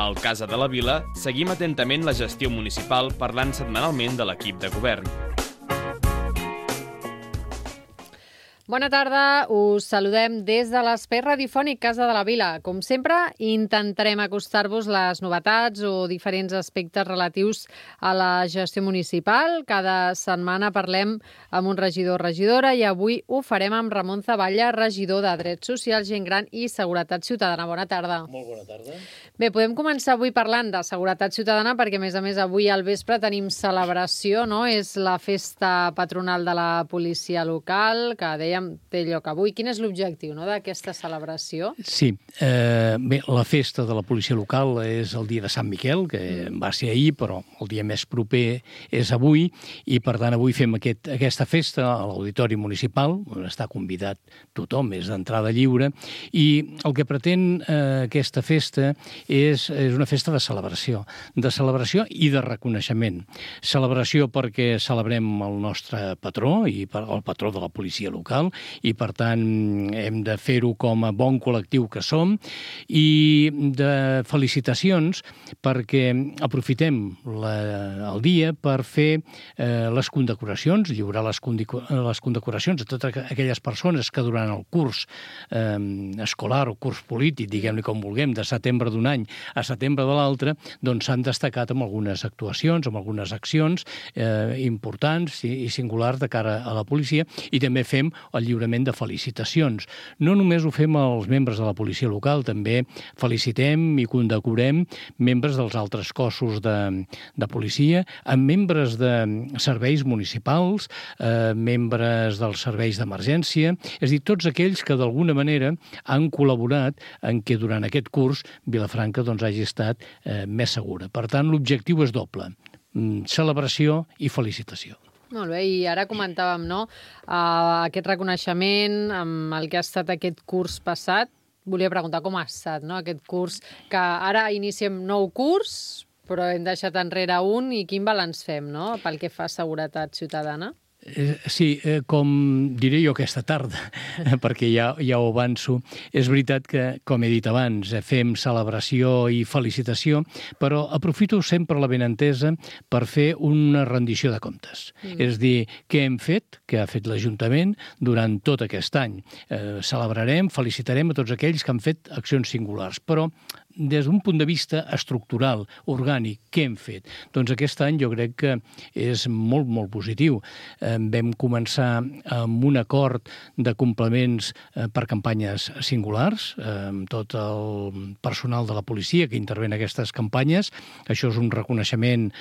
Al Casa de la Vila seguim atentament la gestió municipal parlant setmanalment de l'equip de govern. Bona tarda, us saludem des de l'espai radiofònic Casa de la Vila. Com sempre, intentarem acostar-vos les novetats o diferents aspectes relatius a la gestió municipal. Cada setmana parlem amb un regidor o regidora i avui ho farem amb Ramon Zavalla, regidor de Drets Socials, Gent Gran i Seguretat Ciutadana. Bona tarda. Molt bona tarda. Bé, podem començar avui parlant de Seguretat Ciutadana perquè, a més, avui al vespre tenim celebració, no? És la festa patronal de la policia local, que dèiem té lloc avui. Quin és l'objectiu, no, d'aquesta celebració? Sí, bé, la festa de la policia local és el dia de Sant Miquel, que va ser ahir, però el dia més proper és avui, i per tant avui fem aquesta festa a l'Auditori Municipal, on està convidat tothom, és d'entrada lliure, i el que pretén aquesta festa és una festa de celebració i de reconeixement. Celebració perquè celebrem el nostre patró, i el patró de la policia local, i per tant hem de fer-ho com a bon col·lectiu que som, i de felicitacions perquè aprofitem el dia per fer les condecoracions, lliurar les condecoracions a totes aquelles persones que durant el curs escolar o curs polític, diguem-li com vulguem, de setembre d'un any a setembre de l'altre, doncs s'han destacat amb algunes actuacions, amb algunes accions importants i singulars de cara a la policia, i també fem el lliurament de felicitacions. No només ho fem als membres de la policia local, també felicitem i condecorem membres dels altres cossos de policia, amb membres de serveis municipals, membres dels serveis d'emergència, és a dir, tots aquells que d'alguna manera han col·laborat en què durant aquest curs Vilafranca hagi estat més segura. Per tant, l'objectiu és doble: celebració i felicitació. Molt bé, i ara comentàvem, no?, aquest reconeixement amb el que ha estat aquest curs passat. Volia preguntar com ha estat, no?, aquest curs, que ara iniciem nou curs, però hem deixat enrere un, i quin balanç fem, no?, pel que fa a seguretat ciutadana? Sí, com diré jo aquesta tarda, perquè ja ho avanço, és veritat que, com he dit abans, fem celebració i felicitació, però aprofito sempre la benentesa per fer una rendició de comptes. És dir, què hem fet, què ha fet l'Ajuntament durant tot aquest any. Celebrarem, felicitarem a tots aquells que han fet accions singulars, però des d'un punt de vista estructural, orgànic, què hem fet? Doncs aquest any jo crec que és molt, molt positiu. Vam començar amb un acord de complements per campanyes singulars, amb tot el personal de la policia que intervé en aquestes campanyes. Això és un reconeixement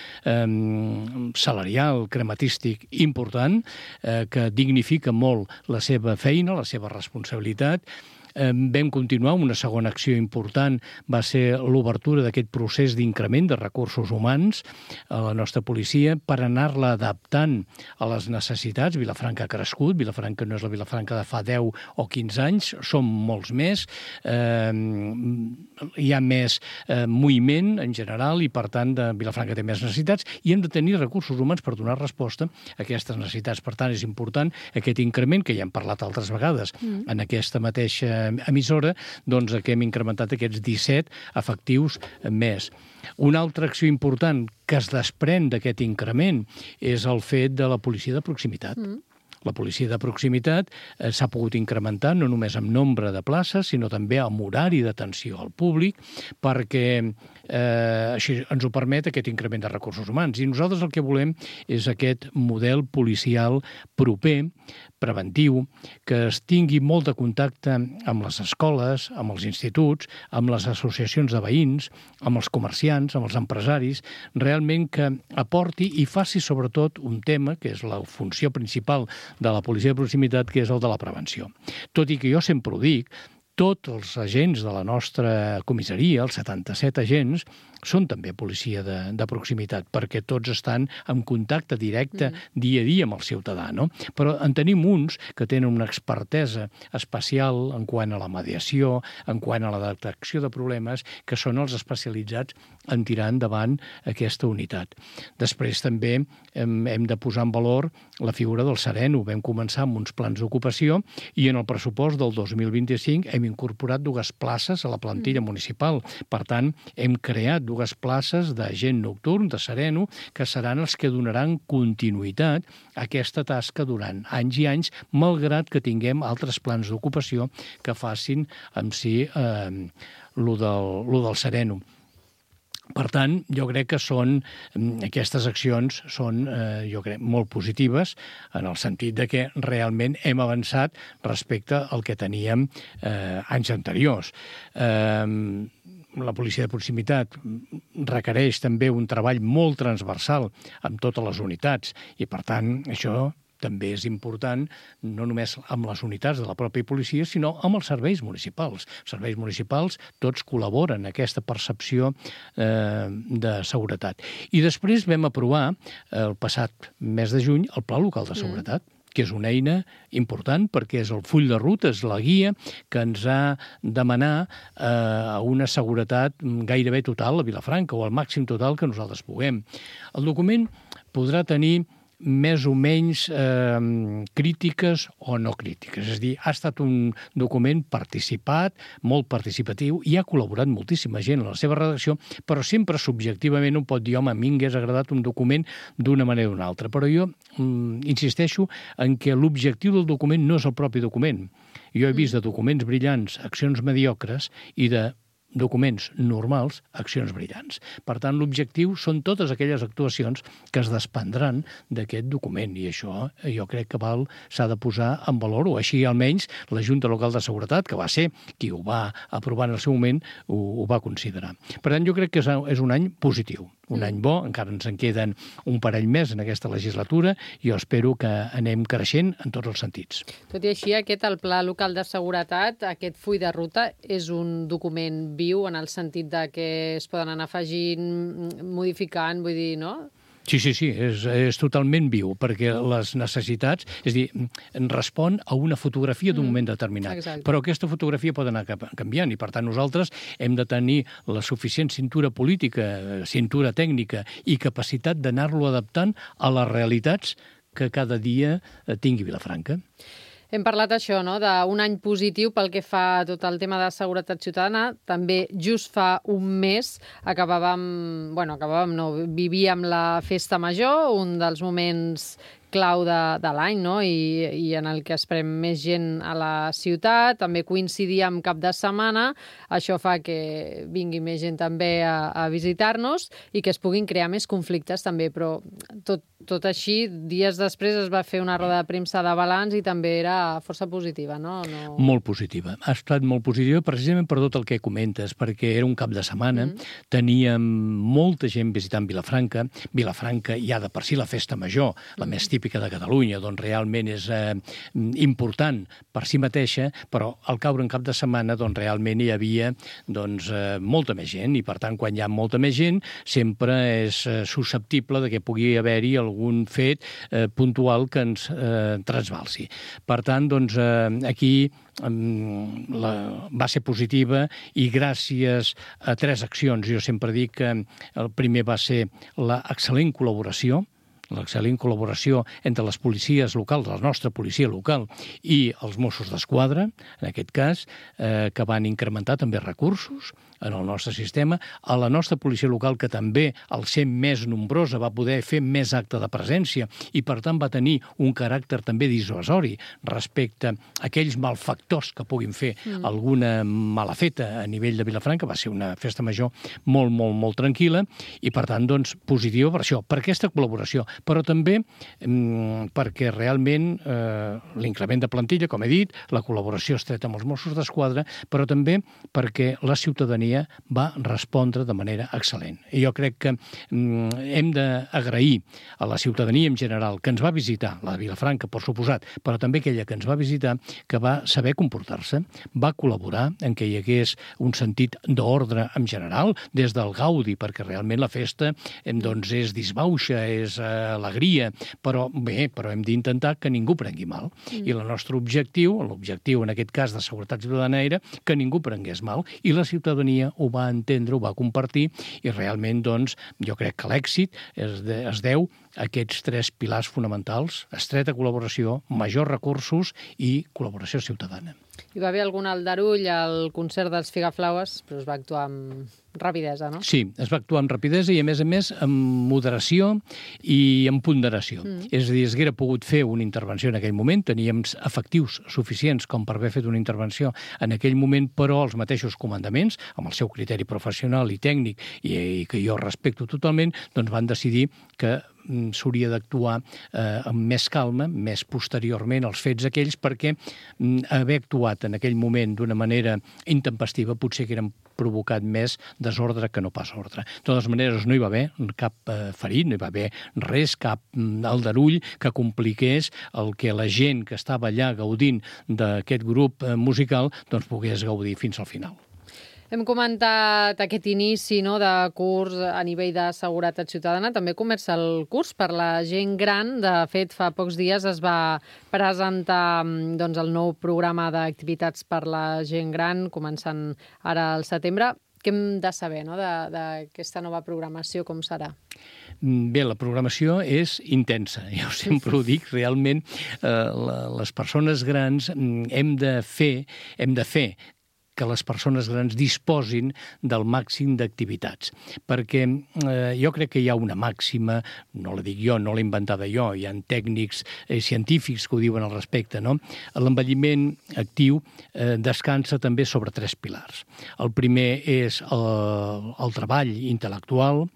salarial, crematístic important, que dignifica molt la seva feina, la seva responsabilitat. Vam continuar amb una segona acció important, va ser l'obertura d'aquest procés d'increment de recursos humans a la nostra policia per anar-la adaptant a les necessitats. Vilafranca ha crescut, Vilafranca no és la Vilafranca de fa 10 o 15 anys, som molts més, hi ha més moviment en general i, per tant, Vilafranca té més necessitats i hem de tenir recursos humans per donar resposta a aquestes necessitats. Per tant, és important aquest increment, que ja hem parlat altres vegades en aquesta mateixa emissora, doncs que hem incrementat aquests 17 efectius més. Una altra acció important que es desprèn d'aquest increment és el fet de la policia de proximitat. La policia de proximitat s'ha pogut incrementar no només amb nombre de places, sinó també amb horari d'atenció al públic, perquè així ens ho permet aquest increment de recursos humans. I nosaltres el que volem és aquest model policial proper, preventiu, que es tingui molt de contacte amb les escoles, amb els instituts, amb les associacions de veïns, amb els comerciants, amb els empresaris, realment que aporti i faci sobretot un tema que és la funció principal de la policia de proximitat, que és el de la prevenció. Tot i que jo sempre ho dic, tots els agents de la nostra comissaria, els 77 agents, són també policia de proximitat, perquè tots estan en contacte directe dia a dia amb el ciutadà, no? Però en tenim uns que tenen una expertesa especial en quant a la mediació, en quant a la detecció de problemes, que són els especialitzats en tirar endavant aquesta unitat. Després també hem de posar en valor la figura del sereno. Vam començar amb uns plans d'ocupació i en el pressupost del 2025 hem incorporat 2 places a la plantilla municipal. Per tant, hem creat 2 places d'agent nocturn, de sereno, que seran els que donaran continuïtat a aquesta tasca durant anys i anys, malgrat que tinguem altres plans d'ocupació que facin en si lo del sereno. Per tant, jo crec que aquestes accions són, jo crec, molt positives en el sentit de que realment hem avançat respecte al que teníem anys anteriors. La policia de proximitat requereix també un treball molt transversal amb totes les unitats i, per tant, això també és important, no només amb les unitats de la pròpia policia, sinó amb els serveis municipals. Els serveis municipals tots col·laboren en aquesta percepció de seguretat. I després vam aprovar, el passat mes de juny, el Pla Local de Seguretat, que és una eina important perquè és el full de ruta, és la guia que ens ha demanat una seguretat gairebé total a Vilafranca, o al màxim total que nosaltres puguem. El document podrà tenir més o menys crítiques o no crítiques. És a dir, ha estat un document participat, molt participatiu, i ha col·laborat moltíssima gent en la seva redacció, però sempre subjectivament un pot dir, home, a mi m'hagués agradat un document d'una manera o d'una altra. Però jo insisteixo en que l'objectiu del document no és el propi document. Jo he vist de documents brillants accions mediocres i de documents normals, accions brillants. Per tant, l'objectiu són totes aquelles actuacions que es desprendran d'aquest document, i això jo crec que s'ha de posar en valor, o així almenys la Junta Local de Seguretat, que va ser qui ho va aprovar en el seu moment, ho va considerar. Per tant, jo crec que és un any positiu, un any bo, encara ens en queden un parell més en aquesta legislatura, i jo espero que anem creixent en tots els sentits. Tot i així, el Pla Local de Seguretat, aquest full de ruta, és un document viu en el sentit de que es poden anar afegint, modificant, vull dir, no? Sí, és totalment viu, perquè les necessitats, és a dir, respon a una fotografia d'un moment determinat. Exacte. Però aquesta fotografia pot anar canviant, i per tant nosaltres hem de tenir la suficient cintura política, cintura tècnica i capacitat d'anar-lo adaptant a les realitats que cada dia tingui Vilafranca. Hem parlat això, no?, d'un any positiu pel que fa a tot el tema de seguretat ciutadana. També just fa un mes vivíem la Festa Major, un dels moments clau de l'any, no?, i en el que esperem més gent a la ciutat. També coincidia amb cap de setmana. Això fa que vingui més gent també a visitar-nos i que es puguin crear més conflictes també, però tot així, dies després es va fer una roda de premsa de balanç i també era força positiva, no? Molt positiva. Ha estat molt positiva precisament per tot el que comentes, perquè era un cap de setmana, teníem molta gent visitant Vilafranca. Vilafranca ja de per si la Festa Major, la més típica de Catalunya, doncs realment és important per si mateixa, però al caure en cap de setmana doncs realment hi havia molta més gent, i per tant quan hi ha molta més gent sempre és susceptible de que pugui haver-hi algun fet puntual que ens trasbalsi. Per tant, doncs, aquí va ser positiva, i gràcies a 3 accions. Jo sempre dic que el primer va ser l'excel·lent col·laboració entre les policies locals, la nostra policia local, i els Mossos d'Esquadra, en aquest cas, que van incrementar també recursos en el nostre sistema, a la nostra policia local, que també, al ser més nombrosa, va poder fer més acte de presència i, per tant, va tenir un caràcter també dissuasori respecte a aquells malfactors que puguin fer alguna mala feta a nivell de Vilafranca. Va ser una festa major molt, molt, molt tranquil·la i, per tant, doncs, positiva per això, per aquesta col·laboració, però també perquè realment l'increment de plantilla, com he dit, la col·laboració estreta amb els Mossos d'Esquadra, però també perquè la ciutadania va respondre de manera excel·lent. I jo crec que hem d'agrair a la ciutadania en general que ens va visitar, la de Vilafranca, per suposat, però també aquella que ens va visitar, que va saber comportar-se, va col·laborar en que hi hagués un sentit d'ordre en general, des del gaudi, perquè realment la festa doncs, és disbauxa, és alegria, però bé, però hem d'intentar que ningú prengui mal. I el nostre objectiu, l'objectiu en aquest cas de seguretat ciutadana, era que ningú prengués mal, i la ciutadania ho va entendre, ho va compartir, i realment, doncs, jo crec que l'èxit es deu a aquests 3 pilars fonamentals: estreta col·laboració, majors recursos i col·laboració ciutadana. Hi va haver algun aldarull al concert dels Figaflaues, però es va actuar amb rapidesa, no? Sí, es va actuar amb rapidesa i, a més, amb moderació i amb ponderació. És a dir, es hauria pogut fer una intervenció en aquell moment, teníem efectius suficients com per haver fet una intervenció en aquell moment, però els mateixos comandaments, amb el seu criteri professional i tècnic, i que jo respecto totalment, doncs van decidir que s'hauria d'actuar amb més calma, més posteriorment als fets aquells, perquè haver actuat en aquell moment d'una manera intempestiva potser que eren provocat més desordre que no pas ordre. De totes maneres, no hi va haver cap ferit, no hi va haver res, cap aldarull que compliqués el que la gent que estava allà gaudint d'aquest grup musical doncs pogués gaudir fins al final. Hem comentat aquest inici de curs a nivell de seguretat ciutadana. També comença el curs per la gent gran. De fet, fa pocs dies es va presentar el nou programa d'activitats per la gent gran, començant ara al setembre. Què hem de saber d'aquesta nova programació, com serà? Bé, la programació és intensa, jo sempre ho dic, realment les persones grans hem de fer que les persones grans disposin del màxim d'activitats. Perquè jo crec que hi ha una màxima, no la dic jo, no l'he inventada jo, hi ha tècnics científics que ho diuen al respecte, no? L'envelliment actiu descansa també sobre 3 pilars. El primer és el treball intel·lectual,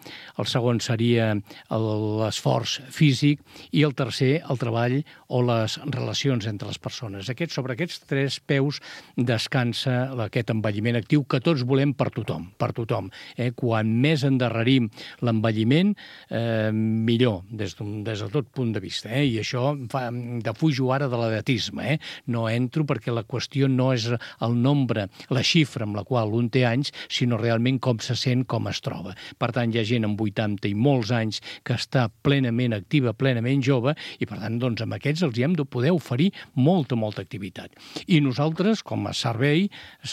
el segon seria l'esforç físic i el tercer, el treball o les relacions entre les persones. Sobre aquests 3 peus descansa aquest envelliment actiu que tots volem per tothom, Quan més endarrerim l'envelliment, millor, des de tot punt de vista. I això defujo ara de l'edatisme. No entro perquè la qüestió no és el nombre, la xifra amb la qual un té anys, sinó realment com se sent, com es troba. Per tant, hi ha gent amb 80 i molts anys que està plenament activa, plenament jove, i per tant, doncs, amb aquests els hem de poder oferir molta activitat. I nosaltres, com a servei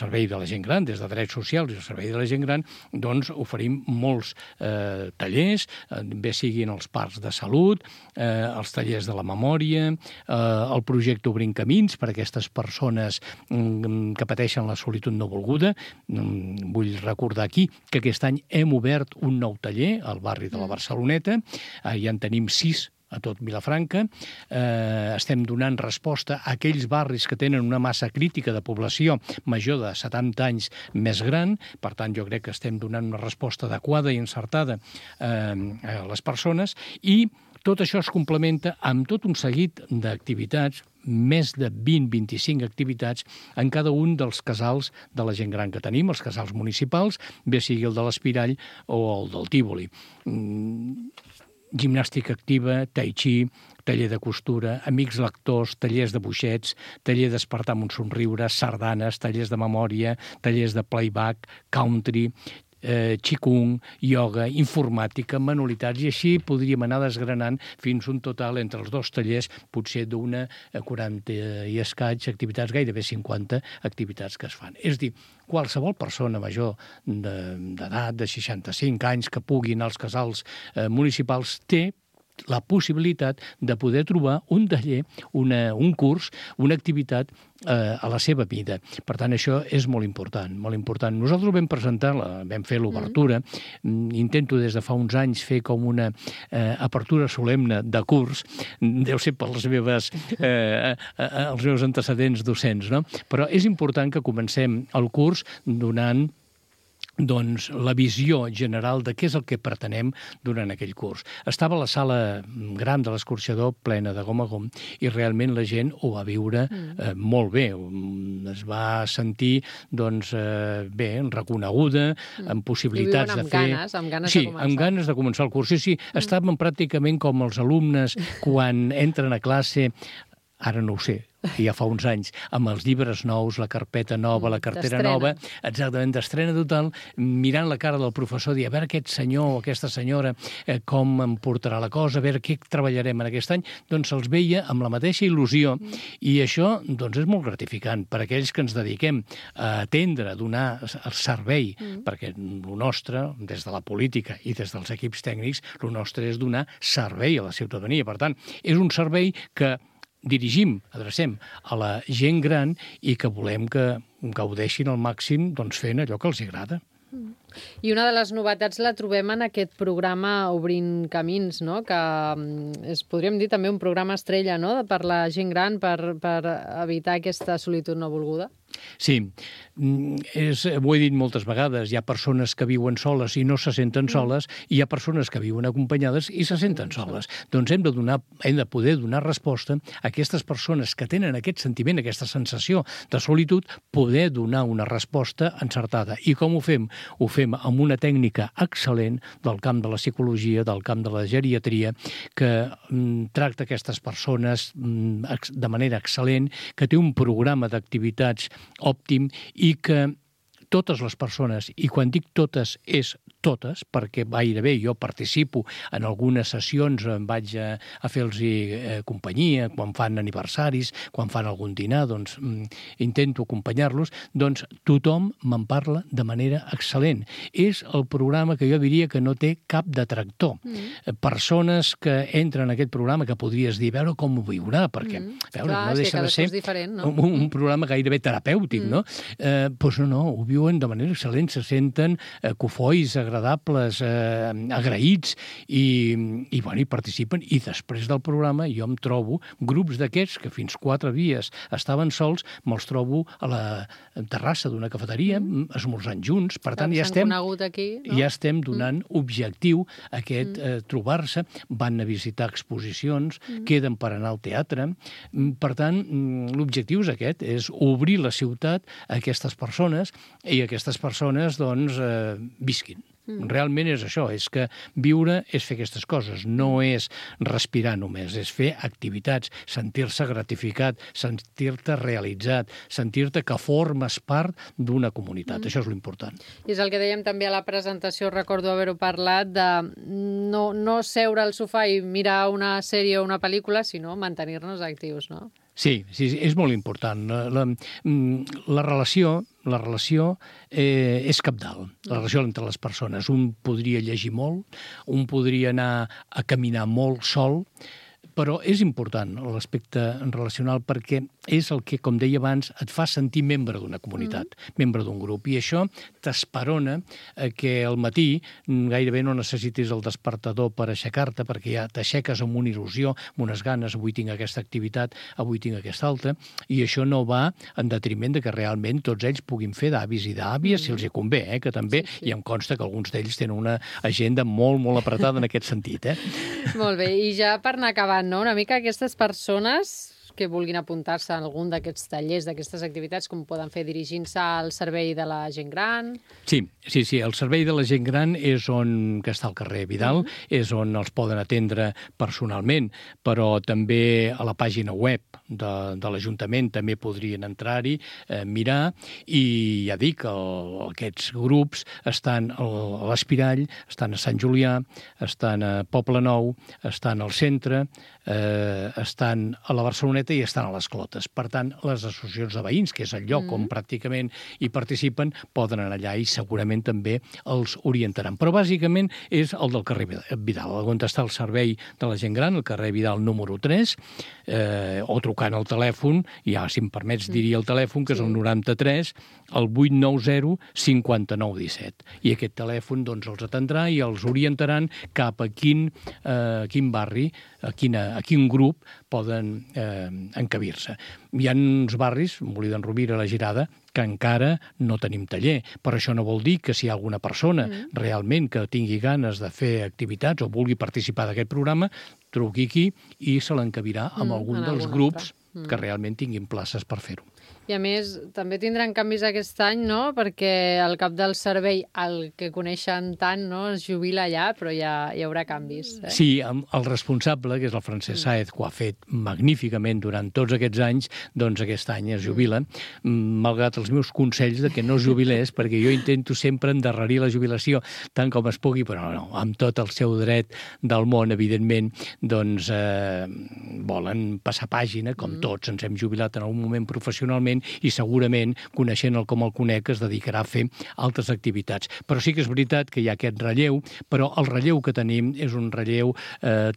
de la gent gran, des de drets socials i el servei de la gent gran, doncs oferim molts tallers, bé siguin els parcs de salut, els tallers de la memòria, el projecte Obrint Camins per a aquestes persones que pateixen la solitud no volguda. Vull recordar aquí que aquest any hem obert un nou taller al barri de la Barceloneta, ja en tenim 6 a tot Vilafranca. Estem donant resposta a aquells barris que tenen una massa crítica de població major de 70 anys més gran. Per tant, jo crec que estem donant una resposta adequada i encertada a les persones, i tot això es complementa amb tot un seguit d'activitats, més de 20-25 activitats en cada un dels casals de la gent gran que tenim, els casals municipals, bé sigui el de l'Espirall o el del Tívoli. Gimnàstica activa, tai chi, taller de costura, amics lectors, tallers de boixets, taller d'espertar amb un somriure, sardanes, tallers de memòria, tallers de playback, country, qigong, ioga, informàtica, manualitats, i així podríem anar desgranant fins un total entre els 2 tallers, potser d'una 40 i escaig activitats, gairebé 50 activitats que es fan. És a dir, qualsevol persona major d'edat, de 65 anys, que pugui anar als casals municipals, té la possibilitat de poder trobar un taller, un curs, una activitat a la seva vida. Per tant, això és molt important, molt important. Nosaltres vam presentar, vam fer l'obertura, intento des de fa uns anys fer com una apertura solemne de curs, deu ser pels meus antecedents docents, no? Però és important que comencem el curs donant la visió general de què és el que pretenem durant aquell curs. Estava la sala gran de l'escorxador plena de gom a gom i realment la gent ho va viure molt bé. Es va sentir bé, reconeguda, amb possibilitats de fer... Amb ganes de començar. Amb ganes de començar el curs. Sí, estàvem pràcticament com els alumnes quan entren a classe, ara no ho sé, ja fa uns anys, amb els llibres nous, la carpeta nova, la cartera nova, exactament, d'estrena total, mirant la cara del professor, dir, a veure aquest senyor o aquesta senyora com em portarà la cosa, a veure què treballarem en aquest any, doncs se'ls veia amb la mateixa il·lusió, i això doncs és molt gratificant per a aquells que ens dediquem a atendre, a donar el servei, perquè el nostre, des de la política i des dels equips tècnics, el nostre és donar servei a la ciutadania. Per tant, és un servei que adrecem a la gent gran i que volem que gaudeixin al màxim fent allò que els agrada. I una de les novetats la trobem en aquest programa Obrint Camins, no? Que podríem dir també un programa estrella, no? Per la gent gran, per evitar aquesta solitud no volguda. Sí, ho he dit moltes vegades, hi ha persones que viuen soles i no se senten soles, i hi ha persones que viuen acompanyades i se senten soles. Doncs hem de poder donar resposta a aquestes persones que tenen aquest sentiment, aquesta sensació de solitud, poder donar una resposta encertada. I com ho fem? Ho fem amb una tècnica excel·lent del camp de la psicologia, del camp de la geriatria, que tracta aquestes persones de manera excel·lent, que té un programa d'activitats òptim i que totes les persones, i quan dic totes és totes, perquè gairebé jo participo en algunes sessions, vaig a fer-los companyia, quan fan aniversaris, quan fan algun dinar, doncs intento acompanyar-los, doncs tothom me'n parla de manera excel·lent. És el programa que jo diria que no té cap detractor. Persones que entren en aquest programa que podries dir, veure com ho viurà, perquè no deixa de ser un programa gairebé terapèutic, no? Doncs no, ho viuen de manera excel·lent, se senten cofois, agradables, agraïts i participen. I després del programa jo em trobo grups d'aquests que fins 4 dies estaven sols, me'ls trobo a la terrassa d'una cafeteria, esmorzant junts. Per tant, ja estem donant objectiu a aquest trobar-se. Van a visitar exposicions, queden per anar al teatre. Per tant, l'objectiu és aquest, és obrir la ciutat a aquestes persones i aquestes persones, doncs, visquin. Realment és això, és que viure és fer aquestes coses, no és respirar només, és fer activitats, sentir-se gratificat, sentir-te realitzat, sentir-te que formes part d'una comunitat. Això és l'important. I és el que dèiem també a la presentació, recordo haver-ho parlat, de no seure al sofà i mirar una sèrie o una pel·lícula, sinó mantenir-nos actius, no? Sí, és molt important. La relació és cabdal, la relació entre les persones. Un podria llegir molt, un podria anar a caminar molt sol, però és important l'aspecte relacional perquè és el que, com deia abans, et fa sentir membre d'una comunitat, membre d'un grup. I això t'esperona que al matí gairebé no necessitis el despertador per aixecar-te, perquè ja t'aixeques amb una il·lusió, amb unes ganes, avui tinc aquesta activitat, avui tinc aquesta altra, i això no va en detriment de que realment tots ells puguin fer d'avis i d'àvies, si els hi convé, que també, i em consta que alguns d'ells tenen una agenda molt, molt apretada en aquest sentit. Molt bé, i ja per anar acabant, no? Una mica aquestes persones que vulguin apuntar-se a algun d'aquests tallers, d'aquestes activitats, com poden fer dirigint-se al servei de la gent gran? Sí, el servei de la gent gran és on que està al carrer Vidal, és on els poden atendre personalment, però també a la pàgina web de l'Ajuntament també podrien entrar-hi, mirar, i ja dic, aquests grups estan a l'Espirall, estan a Sant Julià, estan a Poble Nou, estan al centre, estan a la Barceloneta i estan a les Clotes. Per tant, les associacions de veïns, que és el lloc on pràcticament hi participen, poden anar allà i segurament també els orientaran. Però bàsicament és el del carrer Vidal, on està el servei de la gent gran, el carrer Vidal número 3, o trucant al telèfon, ja si em permets diria el telèfon, que és el 93, el 890 59 17. I aquest telèfon doncs els atendrà i els orientaran cap a quin barri, a quin grup poden encabir-se. Hi ha uns barris, Molí d'en Rovira, La Girada, que encara no tenim taller. Però això no vol dir que si hi ha alguna persona realment que tingui ganes de fer activitats o vulgui participar d'aquest programa, truqui aquí i se l'encabirà amb algun dels grups que realment tinguin places per fer-ho. I a més, també tindran canvis aquest any, no? Perquè el cap del servei, el que coneixen tant, no? Es jubila allà, però ja hi haurà canvis. Sí, el responsable, que és el Francesc Sáez, que ho ha fet magníficament durant tots aquests anys, doncs aquest any es jubila, malgrat els meus consells de que no es jubilés, perquè jo intento sempre endarrerir la jubilació tant com es pugui, però no, amb tot el seu dret del món, evidentment, doncs volen passar pàgina, com tots ens hem jubilat en algun moment professionalment, perfectament i segurament, coneixent-el com el conec, es dedicarà a fer altres activitats. Però sí que és veritat que hi ha aquest relleu, però el relleu que tenim és un relleu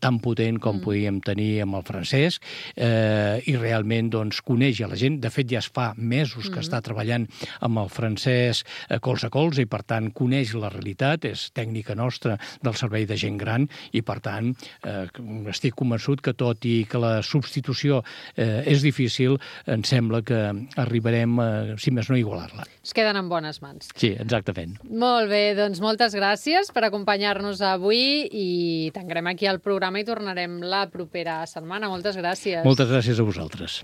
tan potent com podíem tenir amb el Francesc i realment coneix a la gent. De fet, ja es fa mesos que està treballant amb el Francesc colze a colze i, per tant, coneix la realitat, és tècnica nostra del servei de gent gran i, per tant, estic convençut que tot i que la substitució és difícil, em sembla que arribarem, si més no, a igualar-la. Es queden en bones mans. Sí, exactament. Molt bé, doncs moltes gràcies per acompanyar-nos avui i tancarem aquí el programa i tornarem la propera setmana. Moltes gràcies. Moltes gràcies a vosaltres.